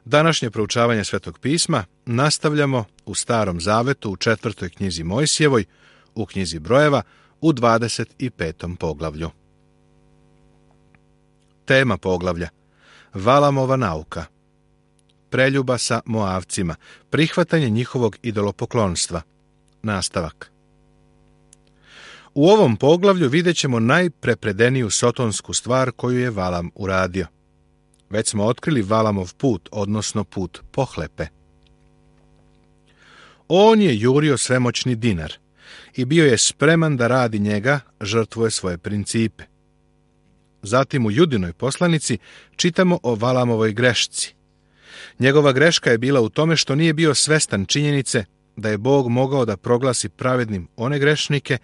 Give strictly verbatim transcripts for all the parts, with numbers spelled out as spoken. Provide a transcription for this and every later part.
Današnje proučavanje Svetog pisma nastavljamo u Starom zavetu u četvrtoj knjizi Mojsijevoj, u knjizi Brojeva, u dvadeset petom poglavlju. Tema poglavlja: Valamova nauka. Preljuba sa Moavcima, prihvatanje njihovog idolopoklonstva. Nastavak. U ovom poglavlju vidjet ćemo najprepredeniju sotonsku stvar koju je Valam uradio. Već smo otkrili Valamov put, odnosno put pohlepe. On je jurio svemoćni dinar i bio je spreman da radi njega, žrtvuje svoje principe. Zatim u Judinoj poslanici čitamo o Valamovoj grešci. Njegova greška je bila u tome što nije bio svestan činjenice da je Bog mogao da proglasi pravednim one grešnike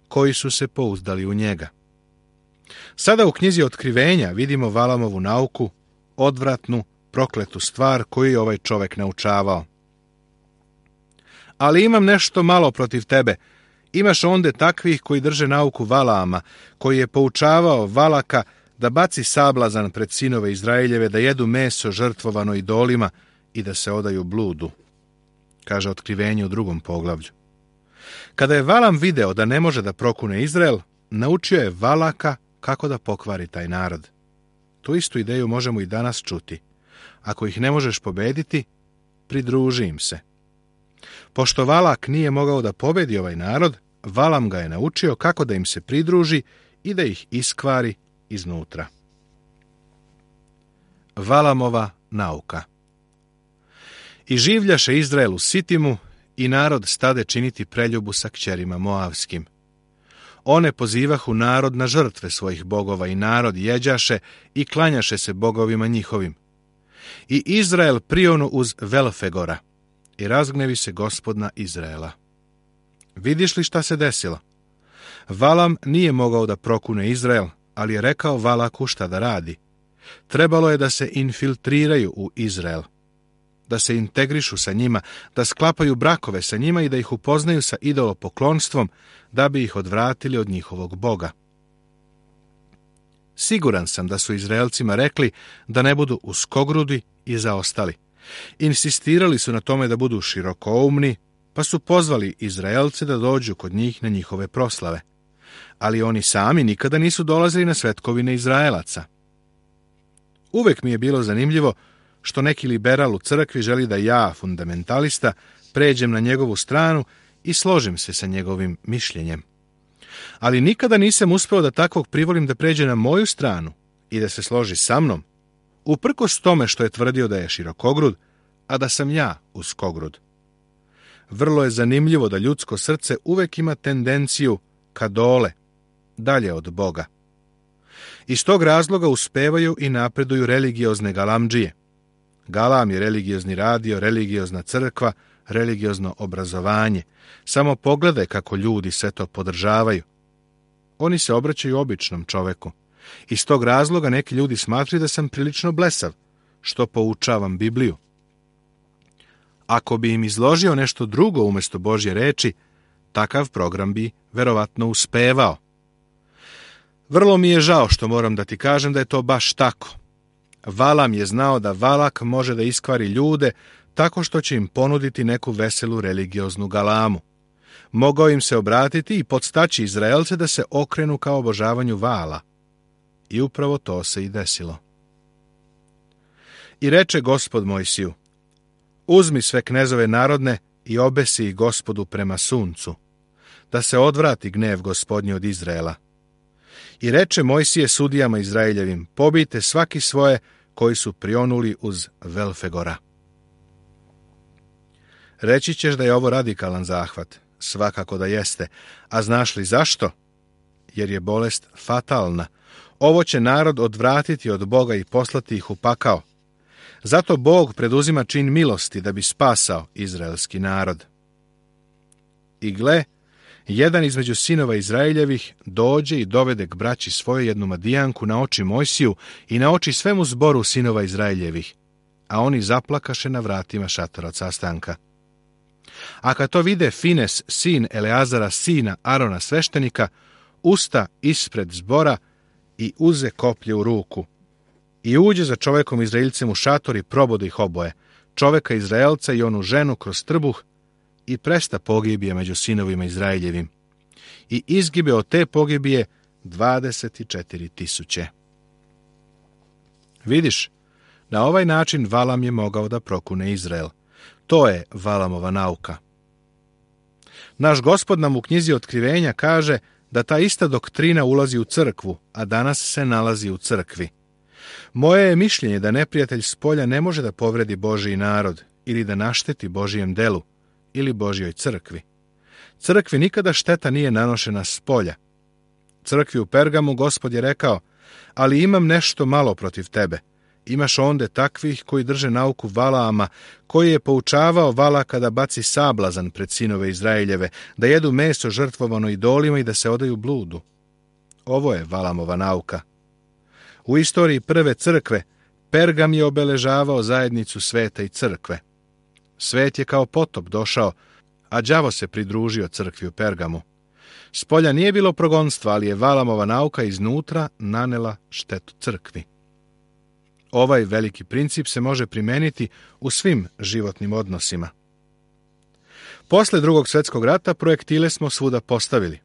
koji su se pouzdali u njega. Sada u knjizi Otkrivenja vidimo Valamovu nauku, odvratnu, prokletu stvar koju je ovaj čovek naučavao. Ali imam nešto malo protiv tebe. Imaš onde takvih koji drže nauku Valaama, koji je poučavao Valaka da baci sablazan pred sinove Izraeljeve, da jedu meso žrtvovano idolima i da se odaju bludu, kaže Otkrivenje u drugom poglavlju. Kada je Valam video da ne može da prokune Izrael, naučio je Valaka kako da pokvari taj narod. Tu istu ideju možemo i danas čuti. Ako ih ne možeš pobediti, pridruži im se. Pošto Valak nije mogao da pobedi ovaj narod, Valam ga je naučio kako da im se pridruži i da ih iskvari iznutra. Valamova nauka. I življaše Izrael u Sitimu i narod stade činiti preljubu sa kćerima Moavskim. One pozivahu narod na žrtve svojih bogova i narod jeđaše i klanjaše se bogovima njihovim. I Izrael prionu uz Velfegora i razgnevi se Gospod na Izraela. Vidiš li šta se desilo? Valam nije mogao da prokune Izrael, ali je rekao Valaku šta da radi. Trebalo je da se infiltriraju u Izrael, da se integrišu sa njima, da sklapaju brakove sa njima i da ih upoznaju sa idolopoklonstvom, da bi ih odvratili od njihovog Boga. Siguran sam da su Izraelcima rekli da ne budu uskogrudi i zaostali. Insistirali su na tome da budu širokoumni, pa su pozvali Izraelce da dođu kod njih na njihove proslave. Ali oni sami nikada nisu dolazili na svetkovine Izraelaca. Uvek mi je bilo zanimljivo što neki liberal u crkvi želi da ja, fundamentalista, pređem na njegovu stranu i složim se sa njegovim mišljenjem. Ali nikada nisam uspeo da takvog privolim da pređe na moju stranu i da se složi sa mnom, uprkos tome što je tvrdio da je širokogrud, a da sam ja uskogrud. Vrlo je zanimljivo da ljudsko srce uvek ima tendenciju ka dole, dalje od Boga. Iz tog razloga uspevaju i napreduju religiozne galamdžije. Galam je religiozni radio, religiozna crkva, religiozno obrazovanje. Samo pogledaj kako ljudi sve to podržavaju. Oni se obraćaju običnom čoveku. Iz tog razloga neki ljudi smatraju da sam prilično blesav, što poučavam Bibliju. Ako bi im izložio nešto drugo umjesto Božje reči, takav program bi verovatno uspevao. Vrlo mi je žao što moram da ti kažem da je to baš tako. Valam je znao da Valak može da iskvari ljude tako što će im ponuditi neku veselu religioznu galamu. Mogao im se obratiti i podstaći Izraelce da se okrenu ka obožavanju Vala. I upravo to se i desilo. I reče Gospod Mojsiju: uzmi sve knezove narodne i obesi ih Gospodu prema suncu, da se odvrati gnev Gospodnji od Izraela. I reče Mojsije sudijama Izraeljevim: pobijte svaki svoje koji su prionuli uz Velfegora. Reći ćeš da je ovo radikalan zahvat. Svakako da jeste. A znaš li zašto? Jer je bolest fatalna. Ovo će narod odvratiti od Boga i poslati ih u pakao. Zato Bog preduzima čin milosti da bi spasao izraelski narod. I gle, jedan između sinova Izraeljevih dođe i dovede k braći svoje jednu Madijanku na oči Mojsiju i na oči svemu zboru sinova Izraeljevih, a oni zaplakaše na vratima šatora od sastanka. A kad to vide Fines, sin Eleazara, sina Arona sveštenika, usta ispred zbora i uze koplje u ruku. I uđe za čovekom Izraeljcem u šator i probode ih oboje, čoveka Izraelca i onu ženu kroz trbuh, i presta pogibije među sinovima Izraeljevim. I izgibe od te pogibije dvadeset četiri tisuće. Vidiš, na ovaj način Valam je mogao da prokune Izrael. To je Valamova nauka. Naš Gospod nam u knjizi Otkrivenja kaže da ta ista doktrina ulazi u crkvu, a danas se nalazi u crkvi. Moje je mišljenje da neprijatelj s polja ne može da povredi Božji narod ili da našteti Božijem delu ili Božjoj crkvi. Crkvi nikada šteta nije nanošena s polja. Crkvi u Pergamu Gospod je rekao: ali imam nešto malo protiv tebe. Imaš onde takvih koji drže nauku Valaama, koji je poučavao Valaka da baci sablazan pred sinove Izraeljeve, da jedu meso žrtvovano idolima i da se odaju bludu. Ovo je Valamova nauka. U istoriji prve crkve Pergam je obeležavao zajednicu sveta i crkve. Svet je kao potop došao, a đavo se pridružio crkvi u Pergamu. Spolja nije bilo progonstva, ali je Valamova nauka iznutra nanela štetu crkvi. Ovaj veliki princip se može primeniti u svim životnim odnosima. Posle Drugog svjetskog rata projektile smo svuda postavili.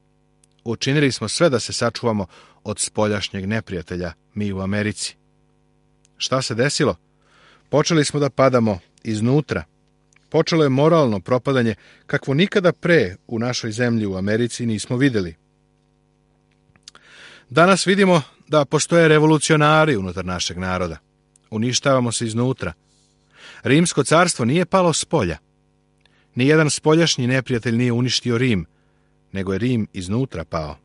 Učinili smo sve da se sačuvamo od spoljašnjeg neprijatelja, mi u Americi. Šta se desilo? Počeli smo da padamo iznutra. Počelo je moralno propadanje kakvo nikada pre u našoj zemlji u Americi nismo vidjeli. Danas vidimo da postoje revolucionari unutar našeg naroda. Uništavamo se iznutra. Rimsko carstvo nije palo s polja. Nijedan spoljašnji neprijatelj nije uništio Rim, nego je Rim iznutra pao.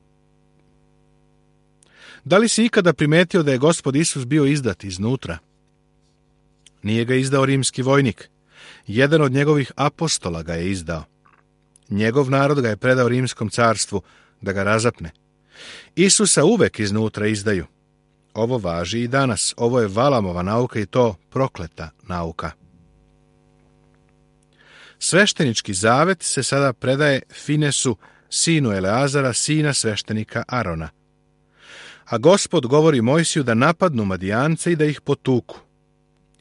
Da li si ikada primetio da je Gospod Isus bio izdat iznutra? Nije ga izdao rimski vojnik. Jedan od njegovih apostola ga je izdao. Njegov narod ga je predao rimskom carstvu da ga razapne. Isusa uvek iznutra izdaju. Ovo važi i danas. Ovo je Valamova nauka i to prokleta nauka. Sveštenički zavet se sada predaje Finesu, sinu Eleazara, sina sveštenika Arona. A Gospod govori Mojsiju da napadnu Madijance i da ih potuku.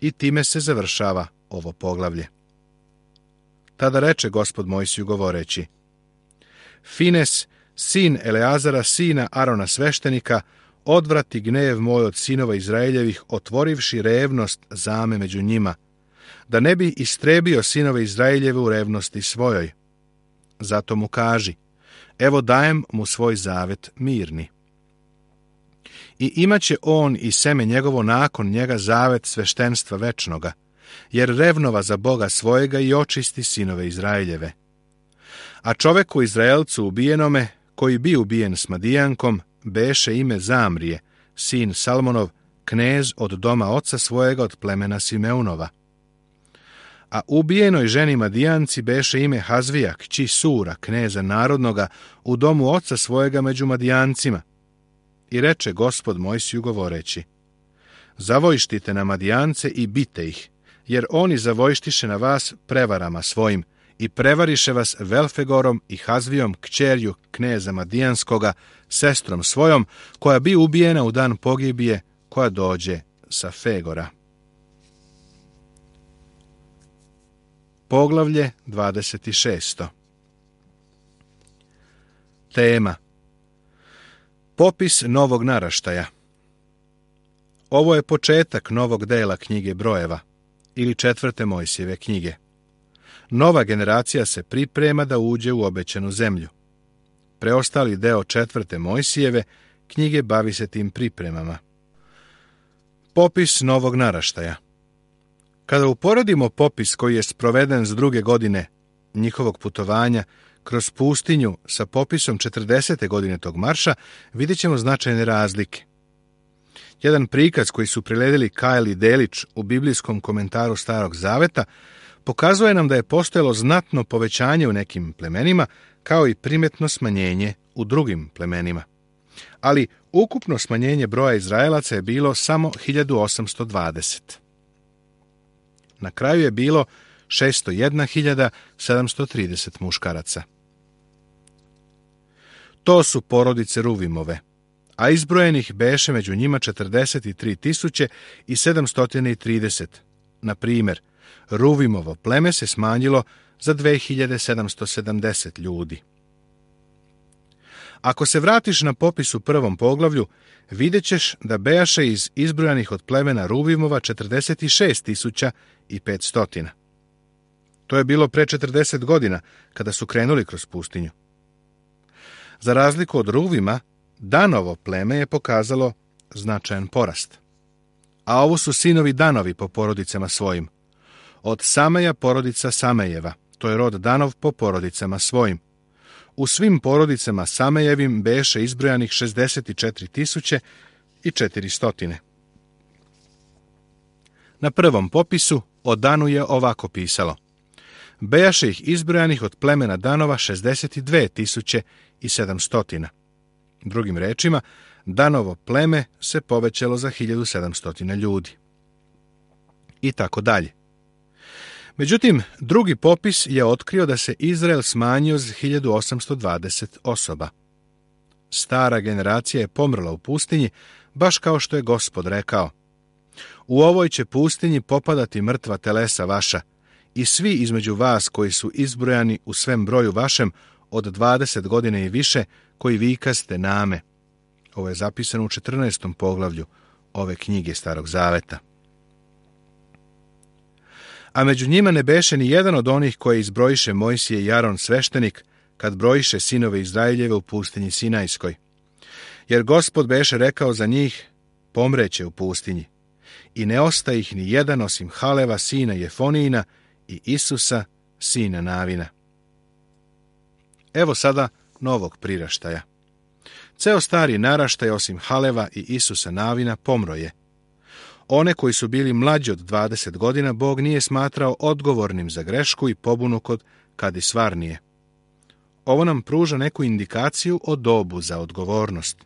I time se završava ovo poglavlje. Tada reče Gospod Mojsiju govoreći: Fines, sin Eleazara, sina Arona sveštenika, odvrati gnev moj od sinova Izraeljevih, otvorivši revnost zame među njima, da ne bi istrebio sinove Izraeljeve u revnosti svojoj. Zato mu kaži: evo dajem mu svoj zavet mirni. I imaće on i seme njegovo nakon njega zavet sveštenstva večnoga, jer revnova za Boga svojega i očisti sinove Izraeljeve. A čoveku Izraelcu ubijenome, koji bi ubijen s Madijankom, beše ime Zamrije, sin Salmonov, knez od doma oca svojega od plemena Simeunova. A ubijenoj ženi Madijanci beše ime Hazvija, kći Sura, kneza narodnoga, u domu oca svojega među Madijancima. I reče Gospod Mojsiju govoreći: zavojštite na Madijance i bite ih, jer oni zavojštiše na vas prevarama svojim i prevariše vas Velfegorom i Hazvijom, kćerju kneza Madijanskoga, sestrom svojom, koja bi ubijena u dan pogibije, koja dođe sa Fegora. Poglavlje dvadeset šest. Tema: popis novog naraštaja. Ovo je početak novog dela knjige Brojeva ili četvrte Mojsijeve knjige. Nova generacija se priprema da uđe u obećanu zemlju. Preostali deo četvrte Mojsijeve knjige bavi se tim pripremama. Popis novog naraštaja. Kada uporedimo popis koji je sproveden s druge godine njihovog putovanja kroz pustinju sa popisom četrdesete godine tog marša, vidjet ćemo značajne razlike. Jedan prikaz koji su priredili Kyle i Delić u biblijskom komentaru Starog zaveta pokazuje nam da je postojalo znatno povećanje u nekim plemenima, kao i primetno smanjenje u drugim plemenima. Ali ukupno smanjenje broja Izraelaca je bilo samo hiljadu osamsto dvadeset. Na kraju je bilo šesto jedna hiljada sedamsto trideset muškaraca. To su porodice Ruvimove, a izbrojenih beše među njima četrdeset tri tisuće sedamsto trideset. Na primjer, Ruvimovo pleme se smanjilo za dve hiljade sedamsto sedamdeset ljudi. Ako se vratiš na popis u prvom poglavlju, vidjet ćeš da bejaše iz izbrojanih od plemena Ruvimova četrdeset šest tisuća petsto. To je bilo pre četrdeset godina, kada su krenuli kroz pustinju. Za razliku od Ruvima, Danovo pleme je pokazalo značajan porast. A ovo su sinovi Danovi po porodicama svojim. Od Sameja porodica Samejeva, to je rod Danov po porodicama svojim. U svim porodicama Samejevim beše izbrojanih šezdeset četiri tisuće četiristo. Na prvom popisu o Danu je ovako pisalo: bejaše ih izbrojanih od plemena Danova šezdeset dve tisuće sedamsto. Drugim rečima, Danovo pleme se povećalo za hiljadu sedamsto ljudi. I tako dalje. Međutim, drugi popis je otkrio da se Izrael smanjio za hiljadu osamsto dvadeset osoba. Stara generacija je pomrla u pustinji, baš kao što je Gospod rekao: u ovoj će pustinji popadati mrtva telesa vaša, i svi između vas koji su izbrojani u svem broju vašem od dvadeset godine i više, koji vikaste name. Ovo je zapisano u četrnaestom poglavlju ove knjige Starog Zaveta. A među njima ne beše ni jedan od onih koje izbrojiše Mojsije i Aron sveštenik, kad brojiše sinove Izraeljeve u pustinji Sinajskoj. Jer Gospod beše rekao za njih: pomreće u pustinji. I ne ostaje ih ni jedan osim Haleva, sina Jefonijina, i Isusa, sina Navina. Evo sada novog priraštaja. Ceo stari naraštaj osim Haleva i Isusa Navina pomro je. One koji su bili mlađi od dvadeset godina Bog nije smatrao odgovornim za grešku i pobunu kod Kadisvarnije. Ovo nam pruža neku indikaciju o dobu za odgovornost.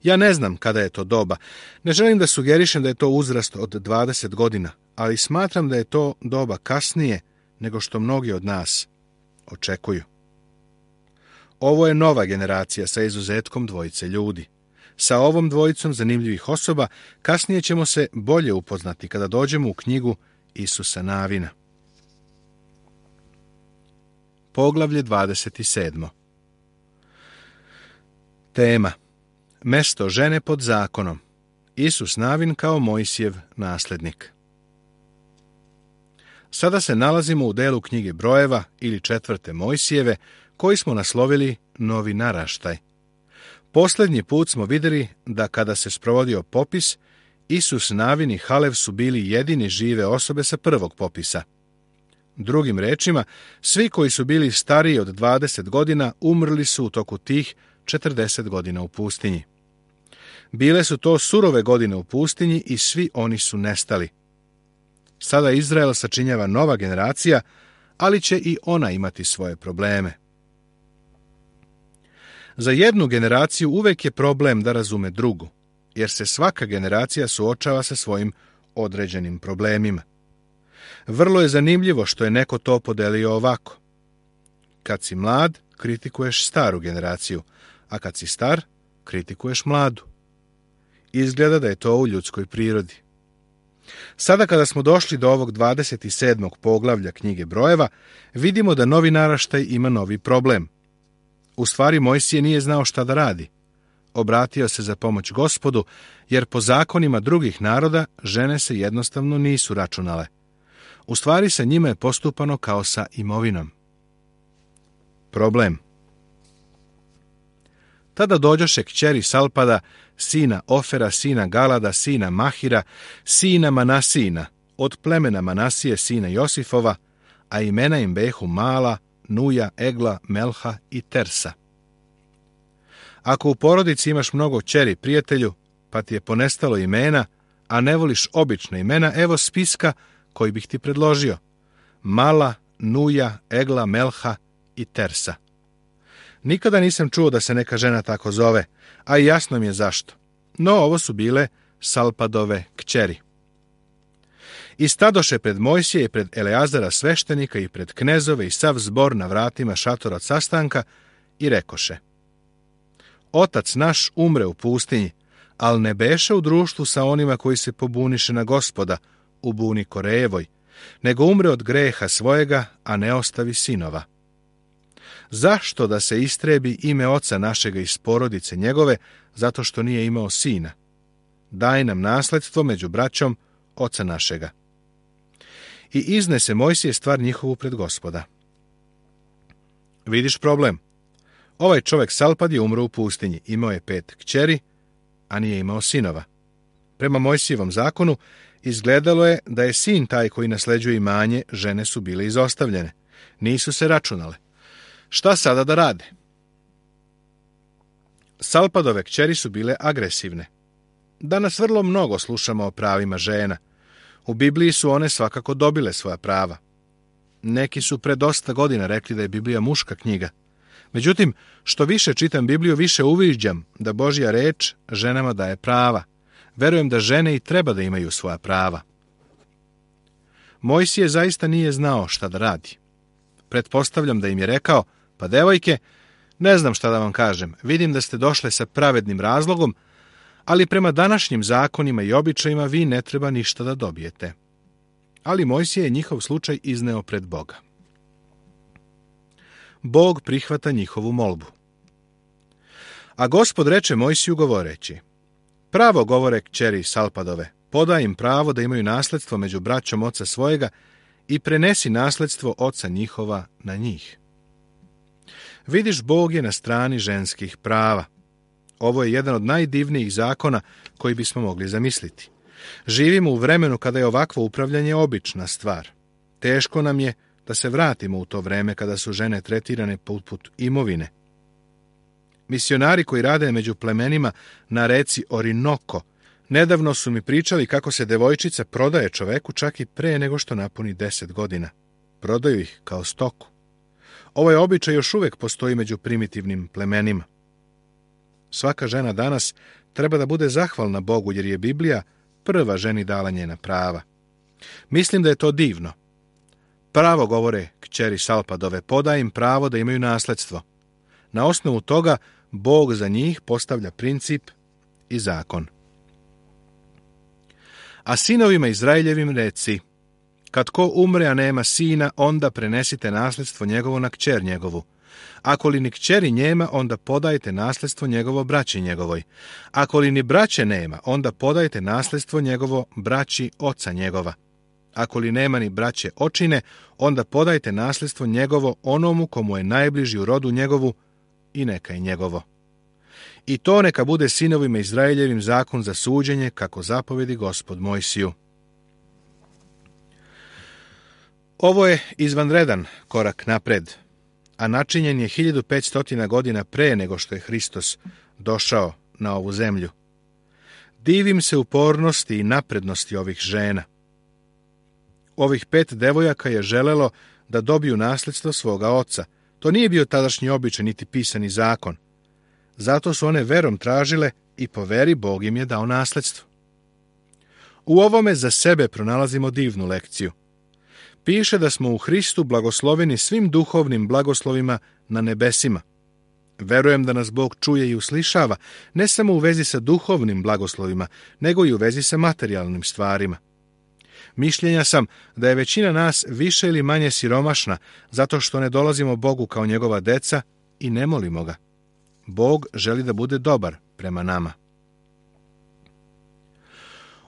Ja ne znam kada je to doba. Ne želim da sugerišem da je to uzrast od dvadeset godina, ali smatram da je to doba kasnije nego što mnogi od nas očekuju. Ovo je nova generacija sa izuzetkom dvojice ljudi. Sa ovom dvojicom zanimljivih osoba kasnije ćemo se bolje upoznati kada dođemo u knjigu Isusa Navina. Poglavlje dvadeset sedmo. Tema: mesto žene pod zakonom. Isus Navin kao Mojsijev naslednik. Sada se nalazimo u delu knjige Brojeva ili četvrte Mojsijeve, koji smo naslovili Novi naraštaj. Posljednji put smo vidjeli da kada se sprovodio popis, Isus Navin i Halev su bili jedini žive osobe sa prvog popisa. Drugim rečima, svi koji su bili stariji od dvadeset godina umrli su u toku tih četrdeset godina u pustinji. Bile su to surove godine u pustinji i svi oni su nestali. Sada Izrael sačinjava nova generacija, ali će i ona imati svoje probleme. Za jednu generaciju uvek je problem da razume drugu, jer se svaka generacija suočava sa svojim određenim problemima. Vrlo je zanimljivo što je neko to podelio ovako: kad si mlad, kritikuješ staru generaciju, a kad si star, kritikuješ mladu. Izgleda da je to u ljudskoj prirodi. Sada kada smo došli do ovog dvadeset sedmog poglavlja knjige Brojeva, vidimo da novi naraštaj ima novi problem. U stvari Mojsije nije znao šta da radi. Obratio se za pomoć Gospodu, jer po zakonima drugih naroda žene se jednostavno nisu računale. U stvari sa njima je postupano kao sa imovinom. Problem. Tada dođoše kćeri Salpada, sina Ofera, sina Galada, sina Mahira, sina Manasina, od plemena Manasije, sina Josifova, a imena im behu Mala, Nuja, Egla, Melha i Tersa. Ako u porodici imaš mnogo kćeri, prijatelju, pa ti je ponestalo imena, a ne voliš obična imena, evo spiska koji bih ti predložio: Mala, Nuja, Egla, Melha i Tersa. Nikada nisam čuo da se neka žena tako zove, a i jasno mi je zašto. No, ovo su bile Salpadove kćeri. I stadoše pred Mojsije i pred Eleazara sveštenika i pred knezove i sav zbor na vratima šatora od sastanka i rekoše: Otac naš umre u pustinji, ali ne beše u društvu sa onima koji se pobuniše na Gospoda u buni Korejevoj, nego umre od greha svojega, a ne ostavi sinova. Zašto da se istrebi ime oca našega iz porodice njegove, zato što nije imao sina? Daj nam nasledstvo među braćom oca našega. I iznese Mojsije stvar njihovu pred Gospoda. Vidiš problem? Ovaj čovjek Salpad je umro u pustinji, imao je pet kćeri, a nije imao sinova. Prema Mojsijevom zakonu izgledalo je da je sin taj koji nasleđuje imanje, žene su bile izostavljene. Nisu se računale. Šta sada da rade? Salpadove kćeri su bile agresivne. Danas vrlo mnogo slušamo o pravima žena. U Bibliji su one svakako dobile svoja prava. Neki su pre dosta godina rekli da je Biblija muška knjiga. Međutim, što više čitam Bibliju, više uviđam da Božja reč ženama daje prava. Verujem da žene i treba da imaju svoja prava. Mojsije zaista nije znao šta da radi. Pretpostavljam da im je rekao, pa devojke, ne znam šta da vam kažem, vidim da ste došle sa pravednim razlogom, ali prema današnjim zakonima i običajima vi ne treba ništa da dobijete. Ali Mojsije je njihov slučaj izneo pred Boga. Bog prihvata njihovu molbu. A Gospod reče Mojsiju govoreći, pravo govore kćeri Salpadove, podaj im pravo da imaju nasledstvo među braćom oca svojega i prenesi nasledstvo oca njihova na njih. Vidiš, Bog je na strani ženskih prava. Ovo je jedan od najdivnijih zakona koji bismo mogli zamisliti. Živimo u vremenu kada je ovakvo upravljanje obična stvar. Teško nam je da se vratimo u to vreme kada su žene tretirane poput imovine. Misionari koji rade među plemenima na reci Orinoko nedavno su mi pričali kako se devojčica prodaje čoveku čak i pre nego što napuni deset godina. Prodaju ih kao stoku. Ovaj običaj još uvijek postoji među primitivnim plemenima. Svaka žena danas treba da bude zahvalna Bogu jer je Biblija prva ženi dala njena prava. Mislim da je to divno. Pravo govore kćeri Salpadove, podaj im pravo da imaju nasledstvo. Na osnovu toga Bog za njih postavlja princip i zakon. A sinovima Izraeljevim reci, kad ko umre, a nema sina, onda prenesite nasledstvo njegovo na kćer njegovu. Ako li ni kćeri njema, onda podajte nasledstvo njegovo braći njegovoj. Ako li ni braće nema, onda podajte nasledstvo njegovo braći oca njegova. Ako li nema ni braće očine, onda podajte nasledstvo njegovo onomu komu je najbliži u rodu njegovu i neka je njegovo. I to neka bude sinovima Izraeljevim zakon za suđenje, kako zapovedi Gospod Mojsiju. Ovo je izvanredan korak napred, a načinjen je hiljadu petsto godina pre nego što je Hristos došao na ovu zemlju. Divim se upornosti i naprednosti ovih žena. Ovih pet devojaka je želelo da dobiju nasledstvo svoga oca. To nije bio tadašnji običaj niti pisani zakon. Zato su one verom tražile i po veri Bog im je dao nasledstvo. U ovome za sebe pronalazimo divnu lekciju. Piše da smo u Hristu blagosloveni svim duhovnim blagoslovima na nebesima. Verujem da nas Bog čuje i uslišava, ne samo u vezi sa duhovnim blagoslovima, nego i u vezi sa materijalnim stvarima. Mišljenja sam da je većina nas više ili manje siromašna, zato što ne dolazimo Bogu kao njegova deca i ne molimo ga. Bog želi da bude dobar prema nama.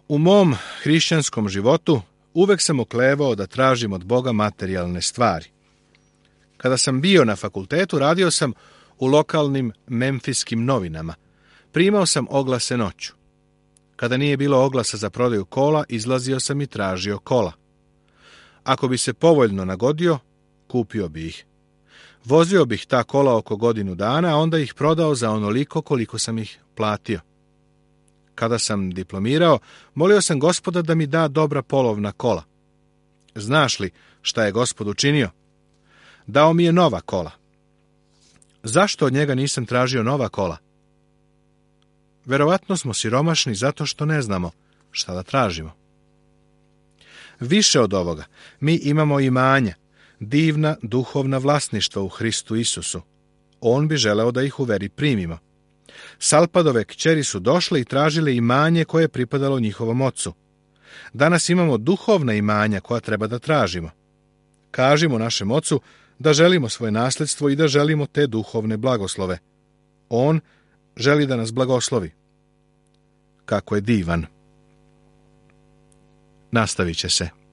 U mom hrišćanskom životu uvek sam oklevao da tražim od Boga materijalne stvari. Kada sam bio na fakultetu, radio sam u lokalnim memfiskim novinama. Primao sam oglase noću. Kada nije bilo oglasa za prodaju kola, izlazio sam i tražio kola. Ako bi se povoljno nagodio, kupio bi ih. Vozio bih ta kola oko godinu dana, a onda ih prodao za onoliko koliko sam ih platio. Kada sam diplomirao, molio sam Gospoda da mi da dobra polovna kola. Znaš li šta je Gospod učinio? Dao mi je nova kola. Zašto od njega nisam tražio nova kola? Verovatno smo siromašni zato što ne znamo šta da tražimo. Više od ovoga, mi imamo imanja, divna duhovna vlasništva u Hristu Isusu. On bi želeo da ih u veri primimo. Salpadove kćeri su došle i tražile imanje koje je pripadalo njihovom ocu. Danas imamo duhovna imanja koja treba da tražimo. Kažimo našem ocu da želimo svoje nasledstvo i da želimo te duhovne blagoslove. On želi da nas blagoslovi. Kako je divan. Nastavit će se.